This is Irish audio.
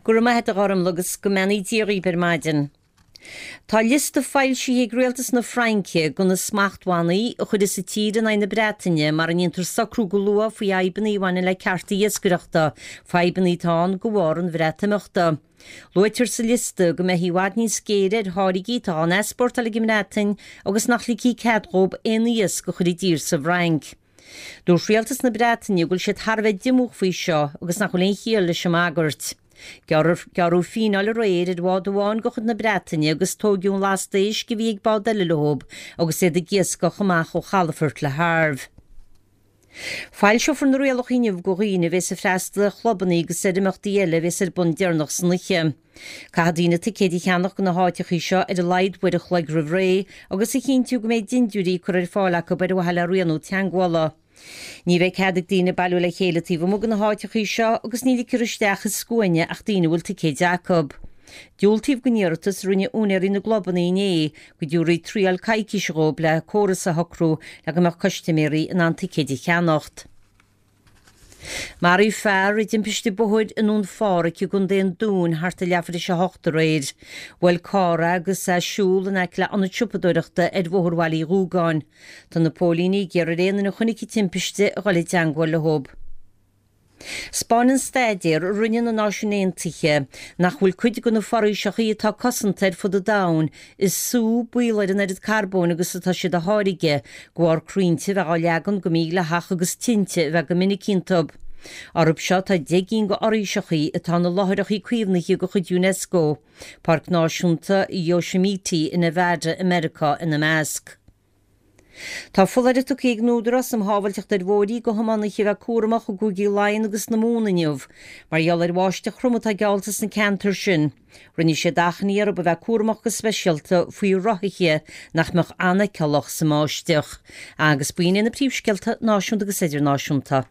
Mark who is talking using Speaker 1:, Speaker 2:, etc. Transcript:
Speaker 1: Go raibh maith a't a Ghormlaith agus go mbeannaí Dia dhaoib ar maidin. Tá liosta foilsithe ag rialtas na Fraince de na smachtbhannaí a chuirfeas an tír in aghaidh na Breataine mara ndéantar socrú go luath faoi fhadhbanna a bhaineann le cearta iascaireachta, fadhbanna atá ann de bharr an Bhreatimeachta. Luaitear sa liosta go mbeifí i bhfad níos géire ar tháirgí atá á n-easpórtáil ag an mBreatain agus nach ligfí cead dhóib aon iasc a chur i dtír sa bhFrainc. Dúirt rialtas na Breataine go bhfuil siad thar a bheith diomúch faoi seo agus nach bhfuil aon chiall leis an mbagairt. Gearradh fíneáil aréir ar bhád amháin de chuid na Breataine agus tóigeadh an lasta éisc a bhí ag bád eile leob agus iad ag iascach amach ó chalafort Le Havre. Foilseofar na rialacha inniu do dhaoine a bhéas ag freastal ar chlubanna agus ar imeachtaí eile a bhéas ar bun deireanach san oíche. Caithfidh daoine ticéid a cheannach do na háiteachaí seo ar a laghad uair a chloig roimh ré agus a chinntiú go mbeidh dintiúirí curtha ar fáil acu ar mhaithe le rianú teagmhála. Ní bheidh cead ag daoine bailiú le chéile taobh amuigh de na háiteachaí seo agus ní ligfear isteach i scuaine ach daoine a bhfuil ticéid acu. Diúltaíodh don iarratas a rinne úinéirí na gclubanna inné go dtabharfaí triail coicíse dhóibh le córas a shocrú le go mbeadh custaiméirí in ann ticéid a cheannacht. Maraíodh fear i dtimpiste bóthair i nDún Phádraig i gContae an Dúin thart ar leathuair tar éis a hocht aréir. Bhuail carr é agus é ag siúl in aice le ionad siopadóireachta ar Bhóthar Bhaile Uí Dhúgáin. Tá na póilíní ag iarraidh ar aon duine a chonaic an timpiste a dhul i dteangmháil leo. 'Spáineann staidéar a rinne na Náisiúin Aontaithe nach bhfuil cuid de na foraoiseachaí atá cosanta ar fud an domhain ag sú baol air an oiread carbóin agus atá siad a tháirgeadh, de bharr crainnte a bheith á leagan go mídhleathach agus tinte a bheith go minic iontu. Orthu seo tá 10 gcinn de fhoraoiseachaí atá ina láithreachaí caomhnaithe de chuid Unesco, Páirc Náisiúnta Yosemite i Nevada i Meiriceá ina measc. Tá foláireamh tugtha ag an Údarás um Shábháilteacht ar Bhóithre do thiománaithe a bheith cúramach i gCúigí Laighean agus na Mumhan inniu mar gheall ar bháisteach throm atá geallta sna ceantair sin. Rinne siad achainí orthu a bheith cúramach go speisialta faoi rothaithe nach mbeadh an-fheiceálach sa mbáisteach. Agus b'in iad na príomhscéalta náisiúnta agus idirnáisiúnta.